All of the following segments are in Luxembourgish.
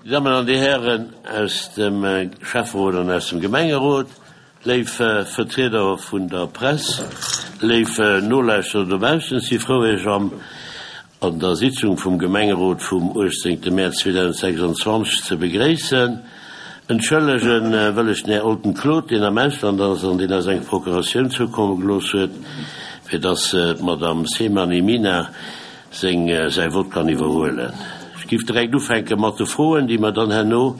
Dir Dammen an Dir Hären aus dem Schäfferot an aus dem Gemengerot, léif Vertrieder vun der Press, léif Nolauschterer dobaussen, ech si frou Iech am an der Sitzung vum Gemengerot vum 18 Mäerz 2026 ze begréissen. Entschëllege wëll ech den Här Olten Claude, deen am Ausland ass an deen eis eng Procuratioun zoukomme gelooss huet, fir dass d'Madame Semani Mina seng säi Vott kann iwwerhuelen. Ech giff direkt ufänke mat de Froen, déi mer dann herno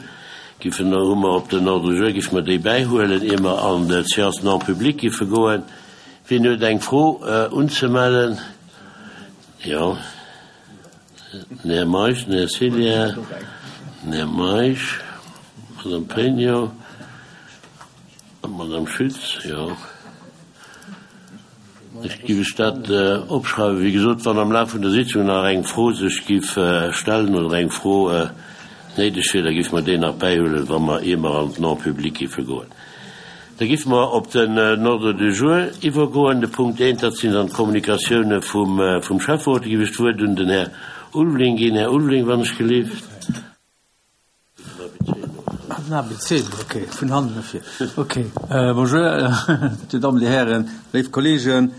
giffen, hu mer op den Ordre du jour, giffe mer déi bäihuelen, ier mer an d'Séance non publique giffe goen. Wien huet eng Fro unzemellen? Jo, den Här Meisch, den Här Cilier, den Här Meisch, d'Madame Pregno an d'Madame Schütz, jo. Ech giff ech dat opschreiwen. Wéi gesot, wann am Laf vun der Sitzung nach eng Fro sech giff stellen oder eng Fro néideg wier, da giffe mer déi nach bäihuelen, wa mer, ier mer an d'Non-publique giffe goen. Da giffe mer op den Ordre du jour iwwergoen. De Punkt eent, dat sinn dann d'Kommunikatioune vum Schäfferot. Da giff ech d'Wuert un den Här Ulveling ginn. Här Ulveling, wann ech gelift. Den ABC, okay, vun hannen no vir. Okay, bonjour, Dir Dammen, Dir Hären, léif Kolleegen.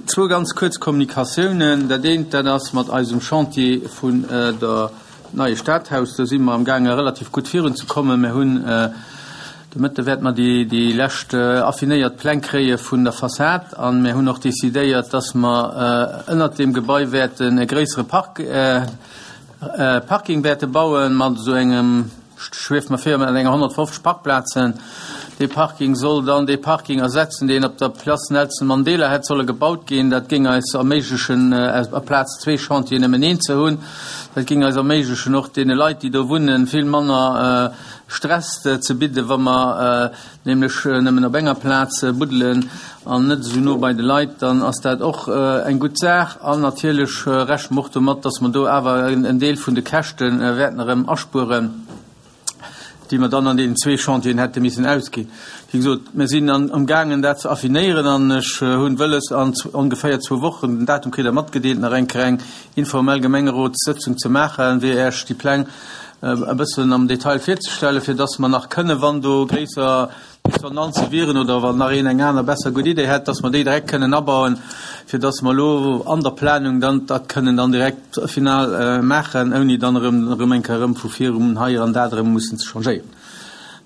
Zwou ganz kuerz Kommunikatiounen. Dat eent, dat ass mat eisem Chantier vun der neie Stadhaus. Do si mer amgaange relativ gutt virunzekommen. Mir hunn de Mëtte wäerte mer déi, déi lescht affinéiert Pläng kréie vun der Fassad. A mir hunn och decidéiert, dass mer ënnert deem Gebai wäerten e gréissere Park, Parking wäerte bauen, mat esou engem, schwieft mer vir, mat enger 150 Parkplazen. Dee Parking soll dann dee Parking ersetzen, deen op der Place Nelson Mandela hätt solle gebaut ginn. Dat géing eis erméiglechen, aplaz zwee Chantieren nëmmen een ze hunn. Dat géing eis erméiglechen, och deene Leit, déi do wunnen, vill manner Stress ze bidden, wa mer nämlech nëmmen op enger Plaz buddelen an net esou no bei de Leit, dann ass dat och eng gutt Saach. An natierlech rechne mer och domat, dass mer do awer en Deel vun de Käschte wäerten erëm aspueren, déi mer dann an deenen zwee Chantieren hätte missen ausginn. Wéi gesot, mir sinn amgaangen, dat ze affinéieren an ech hunn wëlles, an ongeféier zwou Wochen, den Datum kritt Der matgedeelt, nach eng Kéier eng informell Gemengerotssëtzung ze maachen, fir Iech déi Pläng e bëssen am Detail virzestellen, fir dass mer nach kënnen, wann do gréisser Dissonanze wieren oder wann nach een eng aner besser gutt Idee hätt, dass mer déi direkt kënnen abauen, fir dass mer elo an der Planung dann dat kënnen dann direkt final maachen, ouni dann erëm erëm eng Kéier erëm vu virun hei an dat erëm mussen ze changéieren.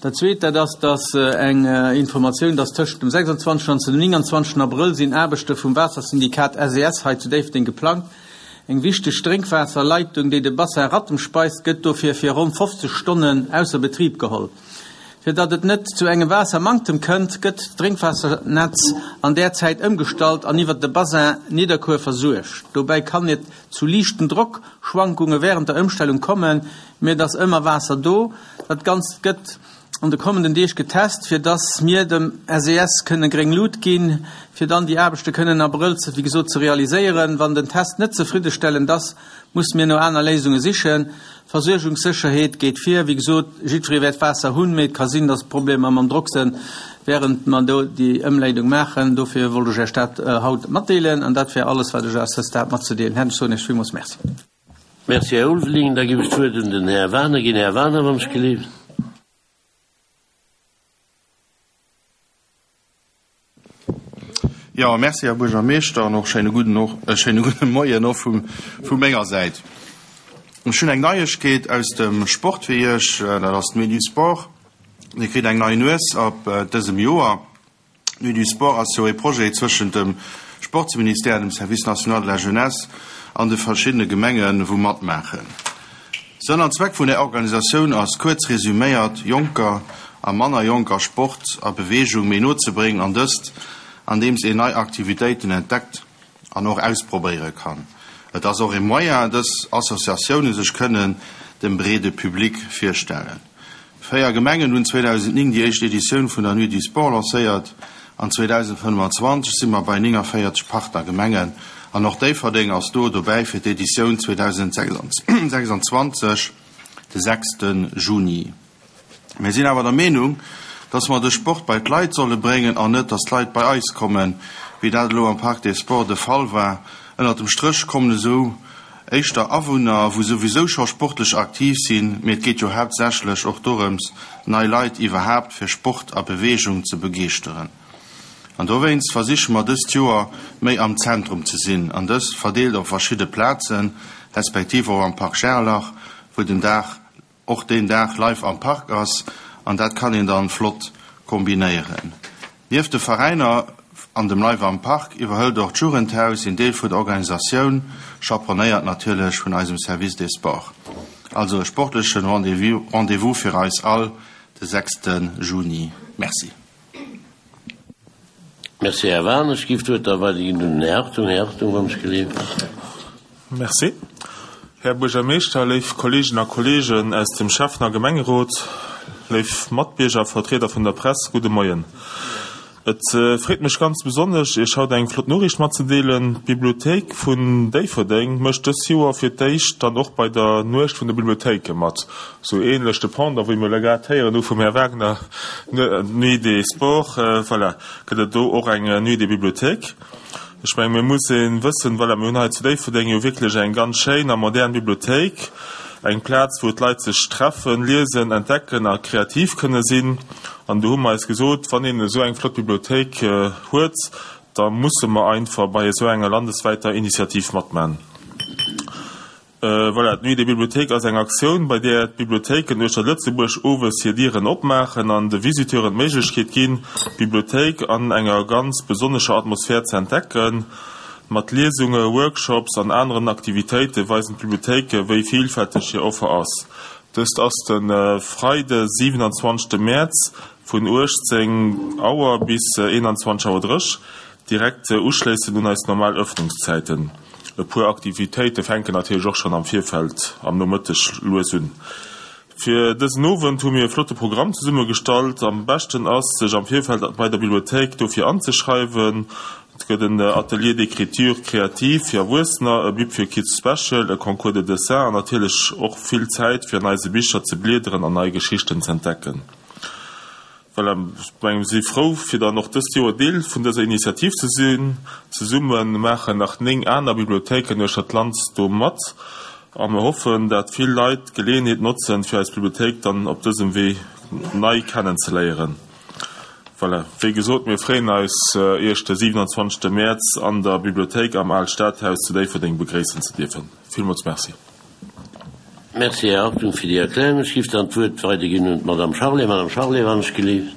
Dat Zweet, dat ass, dass eng Informatioun, dass tëschent dem 26 an dem 29 Abrëll sinn Aarbechte vum Waassersyndikat SES hei zu Déifferdeng geplangt. Eng wichteg Drénkwaasserleitung, déi de Bassin Rattem speist, gëtt dofir fir ronn 50 Stonnen ausser Betrib geholl. Fir datt et net zu engem Waassermanktem kënnt, gëtt d'Drénkwassernetz an där Zäit ëmgestallt an iwwer de Bassin Nidderkuer versuergt. Dobäi kann et zu liichten Drockschwankunge wärend der Ëmstellung kommen, mee et ass ëmmer Waasser do. Dat Ganzt gëtt an de kommenden Deeg getest, fir dass mir dem SES kënne gréng Lut ginn, fir dann déi Aarbechte kënnen am Abrëll, wéi gesot, ze realiséieren. Wann den Test net zefriddestellend ass, musse mir no aner Léisunge sichen. Versuergungssécherheet geet vir. Wéi gesot, jiddweree wäert Waasser hunn, mee et ka sinn, dass Problemer mam Drock sënn, während mer do déi Ëmleidung maachen. Dofir wollt ech Iech dat haut matdeelen an dat wär alles, wat ech à ce stade matzedeelen hätt. Ech soen Iech villmools Merci. Merci, Här Ulveling. Da géif ech d'Wuert un den Här Wagener ginn. Här Wagener, wann ech gelift. Jo, merci, Här Buergermeeschter, an och schéine gudden och e schéine gudde Moien och vu vu menger Säit. Ech hunn eng Neiegkeet aus dem Sport fir Iech, dat ass d'Nuit du Sport. Dir kritt eng nei Nues ab dësem Joer. D'Nuit du Sport ass jo ee Projet zwëschent dem Sportsministère, dem Service national de la jeunesse an de verschiddene Gemengen, wou matmaachen. Sënn an Zweck vun där Organisatioun ass, kuerz resuméiert, Jonker a manner Jonker Sport a Beweegung méi no ze bréngen an dëst andeems een nei Aktivitéiten entdeckt an och ausprobéiere kann. Et ass och ee Moyen, dës Associatioune sech kënnen dem breede Public virstellen. Véier Gemengen hunn 2009 déi éischt Editioun vun der Nuit du Sport lancéiert an 2025 si mer bei 49 Partnergemengen an och Déifferdeng ass do dobäi fir d'Editioun 2026 de 6 Juni. Mir sinn awer der Meenung, dass mer de Sport bei d'Leit solle bréngen an net, dass d'Leit bei eis kommen, wéi dat elo am Parc des Sports de Fall war. Ënnert dem Stréch kommen esou. éischter Awunner, wou souwisou scho sportlech aktiv sinn, mee et geet jo haaptsächlech och dorëms, nei Leit iwwerhaapt fir Sport a Beweegung ze begeeschteren. An dowéinst versiche mer dëst Joer méi am Zentrum ze sinn an dëst verdeelt op verschidde Plazen, respektiv och am Parc Gerlach, wou den Dag och deen Dag live am Park ass an dat kann een dann flott kombinéieren. Nieft de Veräiner an dem Live am Park iwwerhëlt och d'Jugendhaus een Deel vun der Organisatioun, chaperonnéiert natierlech vun eisem Service des Sports. Also e sportlechen Rendez-vous fir eis all de sechste Juni. Merci. Merci, Här Wahn. Ech géif d'Wuert da weiderginn un den Här Hartung. Här Hartung, wann ech geleeft. Merci, Här Buergermeeschter, léif Kolleeginnen a Kolleegen aus dem Schäffen a Gemengerot, léif Matbierger a Vertrieder vun der Press, gudde Moien. Et freet mech ganz besonnesch, Iech haut eng flott Noriicht matzedeelen. D'Bibliothéik vun Déifferdeng mécht dës Joer fir d'éischt dann och bei der Nuecht vun de Bibliothéike mat. Sou ähnlech de Pendant, wéi mir elo grad héieren hu vum Här Wagner, Nuit des Sports, voilà, gëtt et do och eng Nuit des Bibliothèques. Ech mengen, mir muss ee wëssen, voilà, mir hunn hei zu Déifferdeng jo wierklech eng ganz schéin a modern Bibliothéik, eng Plaz, wou d'Leit sech treffen, liesen, entdecken a kreativ kënne sinn. An do hu mer eis gesot, wann een esou eng flott Bibliothéik huet, da musse mer einfach bei esou enger landeswäiter Initiativ matman. Voilà, d'Nuit des Bibliothéques ass eng Aktioun, bei där d'Bibliothéiken uechter Lëtzebuerg owes hir Dieren opmaachen an de Visiteuren d'Méiglechkeet ginn, d'Bibliothéik an enger ganz besonnescher Atmosphär ze entdecken. Mat Liesunge, Workshops an aneren Aktivitéite weisen d'Bibliothéike wéi villfälteg hir Offer ass. Dëst ass de Freide 27 Mäerz vun 18 Auer bis 21 Auer 30, direkt uschléissend un eis normal Ëffnungszäiten. E puer Aktivitéite fänken natierlech och schonn am Virfeld am Nomëtteg lues un. Fir dësen Owend hu mir e flotte Programm zesummegestallt. Am beschten ass, sech am Virfeld bei der Bibliothéik dofir anzeschreiwen. Et gëtt en Atelier d'écriture créative fir Erwuessener, e Bib fir Kids Special, e Concours de dessin an natierlech och vill Zäit fir an eise Bicher ze bliederen an nei Geschichten z'entdecken. Voilà, ech mengen, mir si frou, fir dann och dëst Joer Deel vun dëser Initiativ ze sinn. Zesumme maachen nach 9 aner Bibliothéiken uechter d'Land do mat a mir hoffen, dat vill Leit d'Geleeënheet notzen, fir eis Bibliothéik dann op dësem Wee nei kennenzeléieren. Voilà, wéi gesot, mir freeën eis, Iech de 27. Mäerz an der Bibliothéik am Aalt Stadhaus zu Déifferdeng begréissen ze dierfen. Villmools Merci. Merci, Här Hartung, fir déi Erklärung. Ech géif dann d'Wuert weiderginn un d'Madame Charlé. Madame Charlé, wann ech gelift.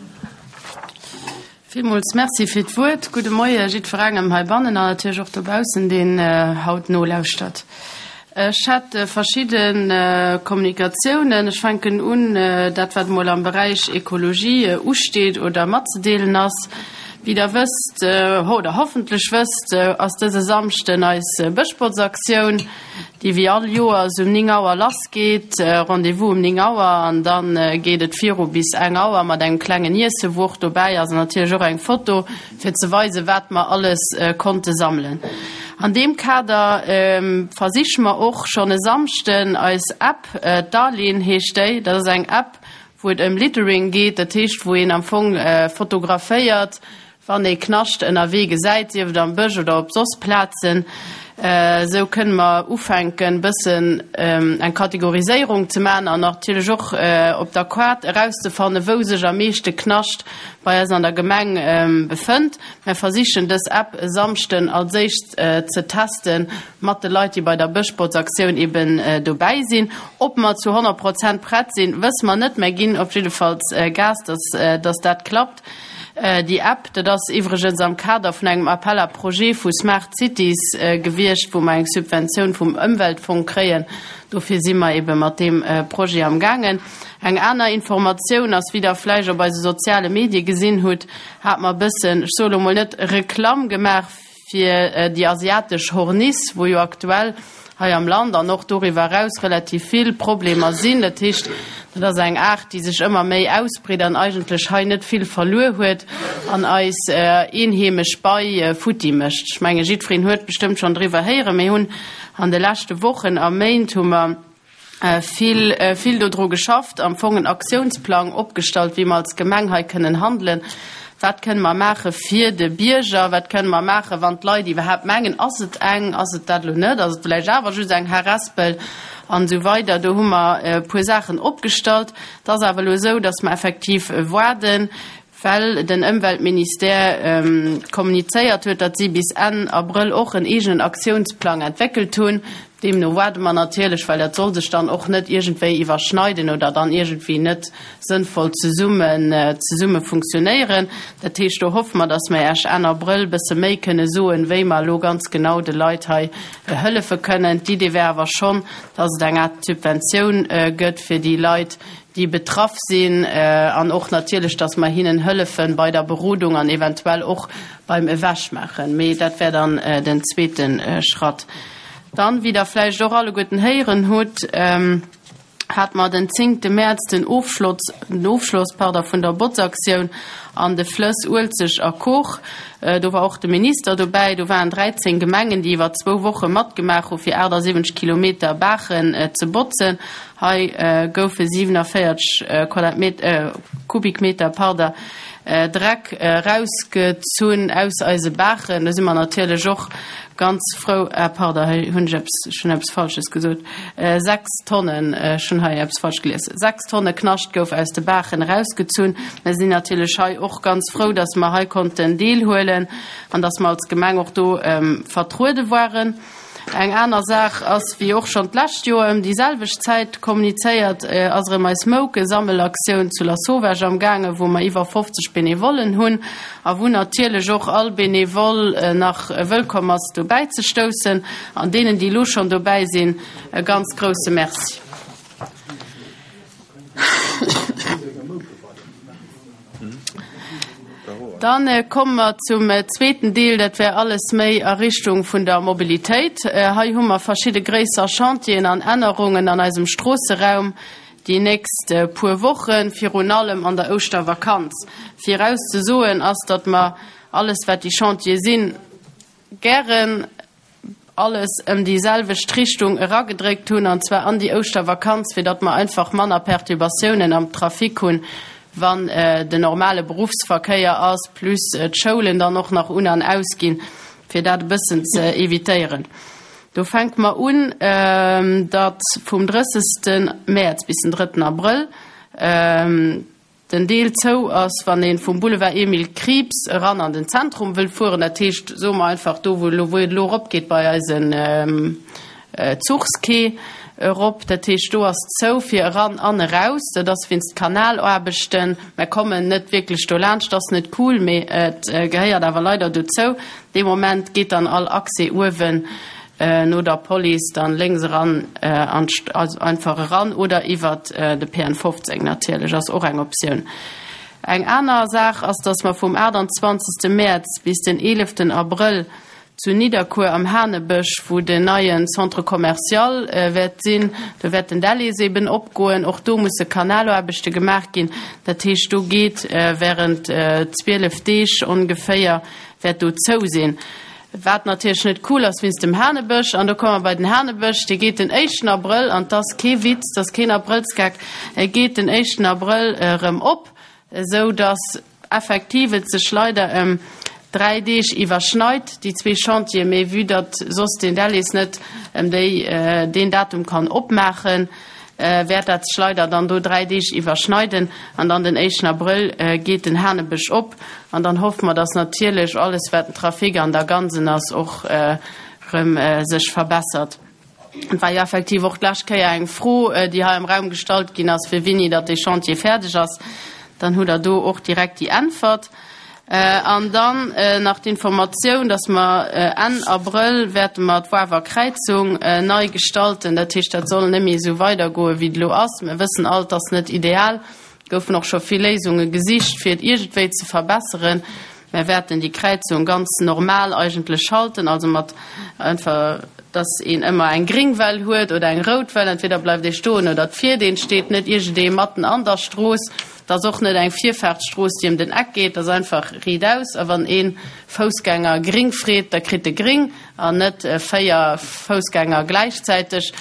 Villmools Merci fir d'Wuert. Gudde Moie jiddwerengem heibannen an natierlech och dobaussen, deen haut nolauschtert. Ech hätt verschidde Kommunikatiounen. Ech fänken un, dat wat emol am Beräich Ekologie usteet oder matzedeelen ass. Wéi Der wësst, oder hoffentlech wësst, ass dëse Samschden eis Bëschbotzaktioun. déi wéi all Joers um 9 Auer lass geet, Rendez-vous um 9 Auer an dann geet et viru bis eng Auer mat engem klengen Iesse wou och dobäi ass an natierlech och eng Foto fir ze weisen wat mer alles konnte sammelen. An deem Kader versiche mer och schonn e Samschden eis App, d'Arlene heescht déi, dat ass eng App wou et ëm Littering geet, dat heescht wou een am Fong fotograféiert Wann ee Knascht ënnerwee gesäit, sief et am Bësch oder op soss Plazen, esou kënne mer ufänken, bëssen eng Kategoriséierung ze maachen an natierlech och op der Kaart erauszefannen, wou sech am meeschte Knascht bei eis an der Gemeng befënnt. Mer versichen dës App e Samschden als éischt ze teste mat de Leit, déi bei der Bëschbotzaktioun eben dobäi sinn. Ob mer zu 100 Prozent prett sinn, wësse mer net, mä ginn op jiddefalls Gas, dass dat klappt. Déi App, dat ass iwwregens am Kader vun engem Appel à projets vu Smart Cities gewiescht, wou mer eng Subventioun vum Ëmweltfong kréien. Dofir si mer ebe mat deem Projet am gaangen. Eng aner Informatioun ass, wéi Der vläicht op eise soziale Medie gesinn hutt, hate mer e bëssen, ech soe lo mol net Reklamm gemaach fir déi asiatesch Horniss, wou jo aktuell hei am Land an och doriwwer eraus relativ vill Problemer sinn. Dat heescht, dat ass eng Aart, déi sech ëmmer méi ausbreet an eigentlech hei net vill verluer huet an eis eenheemesch Bei futti mécht. Ech menge jiddwereen huet bestëmmt schonn driwwer héieren. Mir hunn an de leschte Wochen a Méint hu mer vill, vill dodru geschafft, am Fong en Aktiounsplang opgestallt, wéi mer als Gemeng hei kënnen handelen. Wat kënne mer maache fir de Bierger? Wat kënne mer maachen, wann d'Leit iwwerhaapt mengen, ass et eng, ass et dat elo net, ass et vläicht awer just eng Harespel an esou weider. Do hu mer e puer Saachen opgestallt. Et ass awer elo esou, datt mer effektiv waarden, well den Ëmweltministère kommunizéiert huet, datt si bis Enn Abrëll och en eegenen Aktiounsplang entwéckelt hunn. Deemno waarde mer natierlech, well dat soll sech dann och net iergendwéi iwwerschneiden oder dann iergendwéi net sënnvoll zesummen, zesumme funktionéieren. Dat heescht, do hoffe mer, datt mer Iech Enn Abrëll e bësse méi kënne soen, wéi mer elo ganz genau de Leit hei hëllefe kënnen. D'Idee wär awer schonn, datt et eng Aart Subventioun gëtt fir déi Leit, déi betraff sinn, an och natierlech, dass mer hinnen hëllefe bei der Berodung an eventuell och beim Ewechmaachen. Mee dat wär dann den zweete Schratt. Dann, wéi Der vläicht och alleguerten héieren hutt, hate mer den zéngte Mäerz den Ofschloss, den Ofschloss, pardon, vun der Botzaktioun an de Flëss Uelzecht a Kor. Do war och de Minister dobäi. Do waren 13 Gemengen, déi iwwer zwou Woche matgemaach hu fir 78 Kilometer Baachen ze botzen. Hei goufe 47 Kubikmeter Dreck erausgezunn aus eise Baachen. Do si mer natierlech och ganz frou. Ah pardon, hei hunn ech eppes, ech hunn eppes Falsches gesot. 6 Tonnen, ech hunn hei eppes falsch gelies. 6 Tonne Knascht gouf aus de Baachen erausgezunn. Mer sinn natierlech hei och ganz frou, dass mer hei konnten deelhuelen an dass mer als Gemeng och do vertruede waren. Eng aner Saach ass, wéi och schonn d'lescht Joer ëm déi selwecht Zäit kommunizéiert, ass erëm eis Moukesammelaktioun zu Lasauvage am gaangen, wou mer iwwer 50 Benevollen hunn a wou natierlech och all Benevole nach wëllkomm ass dobäi ze stoussen. An deenen, déi elo schonn dobäi sinn, e ganz grousse Merci. Dann komme mer zum zweeten Deel, dat wär alles méi a Richtung vun der Mobilitéit. Hei hu mer verschidde gréisser Chantieren an Ännerungen an eisem Stroosseraum déi nächst puer Wochen, virun allem an der Ouschtervakanz. Virauszesoen ass, datt mer alles, wat déi Chantiere sinn, gären alles ëm déi selwecht Richtung eragedréckt hunn, an zwar an déi Ouschtervakanz, fir datt mer einfach manner Perturbatiounen am Trafic hunn, wann den normale Beruffsverkéier ass, plus d'Schoulen dann och nach un an ausginn, fir dat e bëssen ze evitéieren. Do fänke mer un, datt vum 30. Mäerz bis den 3. Abrëll, Den Deel zou ass, wann ee vum Boulevard Emile Krieps eran an den Zentrum wëll fueren, dat heescht, soe mer einfach do, wou elo, wou et elo eropgeet bei eisen Zuchsquai erop, dat heescht, do ass zou fir eran an eraus. Dat ass wéinst Kanalaarbechten. Mer kommen net wierklech do laanscht, ass net cool, mee et gehéiert awer leider dozou. Dee Moment geet dann all Accès uewen no der Police dann lénks eran an also einfach eran oder iwwert de PN 15 natierlech ass och eng Optioun. Eng aner Saach ass, dass mer vum 28. Mäerz bis den 11. Abrëll zu Nidderkuer am Hanebësch, wou den neien Centre commercial wäert sinn, do wäert den Delhaize eben opgoen, och do musse Kanalaarbechte gemaach ginn. Dat heescht, do geet während 12 Deeg ongeféier wäert do zou sinn. Wat natierlech net cool ass wéinst dem Hanebësch. An do komme mer bei den Hanebësch, dee geet den éischten Abrëll, an 't ass kee Witz, 't ass keen Abrëllsgeck, e geet den éischten Abrëll erëm op, esou datt effektiv et sech leider ëm 3 Deeg iwwerschneit, déi zwee Chantieren. Mee vue datt soss den Delhaize net ëm déi, deen Datum kann opmaachen, wäert dat sech leider dann do 3 Deeg iwwerschneiden an dann den éischten Abrëll geet den Hanebësch op an dann hoffe mer, dass natierlech alles wat den Trafic an der Ganzen ass och rëm sech verbessert. Et war jo effektiv och d'lescht Kéier eng Fro, déi hei am Raum gestallt ginn ass, fir wéini datt dee Chantier fäerdeg ass. Dann hutt Der do och direkt déi Äntwert. An dann nach d'Informatioun, dass mer Enn Abrëll wäerte mer d'Woarwer Kräizung nei gestalten. Dat heescht, dat soll net méi esou weidergoen, wéi et elo ass. Mir wëssen all, et ass net ideal. Et goufen och scho vill Léisunge gesicht, fir et iergendwéi ze verbesseren. Mer wäerten déi Kräizung ganz normal eigentlech halten, also mat einfach, dass een ëmmer eng gréng Well huet oder eng rout Well. Entweder bleift ee stoen oder et fiert een. Et steet net iergendee matten an der Strooss. Et ass och net eng Virfaartsstrooss, déi ëm den Eck geet, et ass einfach riitaus. A wann ee Foussgänger gring freet, da kritt e gring an net 4 Foussgänger gläichzäiteg.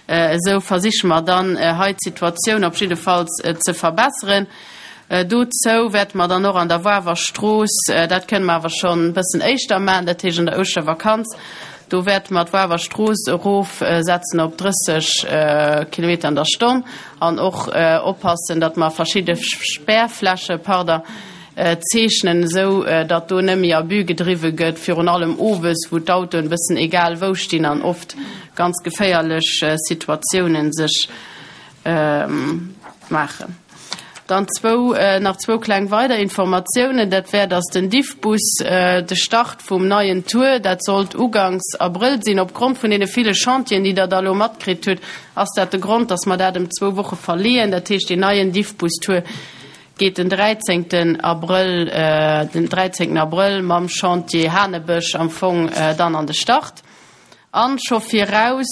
Esou versiche mer dann hei d'Situatioun op jiddefalls ze verbesseren. Dozou wäerte mer dann och an der Wawer Strooss, dat kënne mer awer schonn e bëssen éischter maachen, dat heescht an der Ouschtervakanz, do wäerte mer d'Wawer Strooss erofsetzen op 30 Kilometer an der Stonn an och oppassen, datt mer verschidde Spärfläche, pardon, zeechnen, esou datt do net méi Abus gedriwwe gëtt, virun allem owes, wou d'Autoen e bëssen egal wou stinn an oft ganz geféierlech Situatiounen sech maachen. Dann zwou, nach zwou kleng weider Informatiounen. Dat wär, dass den Diffbus, de Start vum neien Tour, dat sollt uganks Abrëll sinn. Opgrond vun deene ville Chantieren, déi Der da elo matkritt hutt, ass dat de Grond, dass mer dat ëm zwou Woche verleeën. Dat heescht, deen neien Diffbus-Tour geet den 13. Abrëll, den 13. Abrëll mam Chantier Hanebësch am Fong dann an de Start. An scho viraus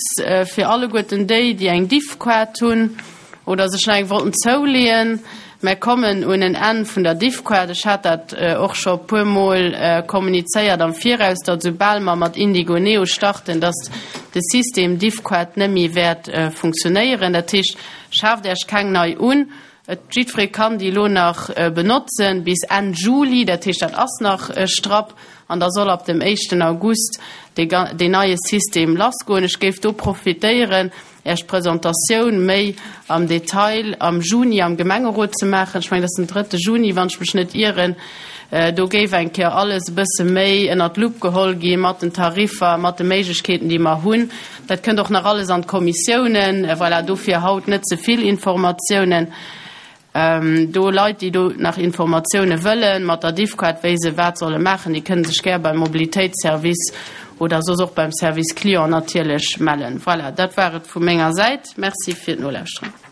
fir alleguerten déi, déi eng Diffkaart hunn oder sech nach eng wollten zouleeën, Mär kommen un en Enn vun der Diffkaart. Ech hat dat och scho e puer Mol kommunizéiert am Viraus, datt esoubal mer mat Indigo Neo starten, datt de System Diffkaart net méi wäert funktionéieren. Dat heescht, schaaft Äech keng nei un. Et jiddweree kann déi elo nach benotzen bis Enn Juli, dat heescht dat ass nach strapp, an da soll ab dem éischten August dee deen neie System lassgoen. Ech géif do profitéieren, Äech d'Presentatioun méi am Detail am Juni am Gemengerot ze maachen. Ech mengen, dat ass den drëtte Juni, wann ech mech net ieren. Do géif eng Kéier alles e bësse méi ënnert d'Lupp geholl gi mat den Tariffer, mat de Méiglechkeeten, déi mer hunn. Dat kënnt och nach alles an d'Kommissiounen. Voilà, dofir haut net ze vill Informatiounen. Do Leit, déi do nach Informatioune wëllen, mat der Diffcard, wéi se wat solle maachen, déi kënne sech gär beim Mobilitéitsservice oder soss och beim Service Client natierlech mellen. Voilà, dat war et vu menger Säit. Merci fir d'Nolauschteren.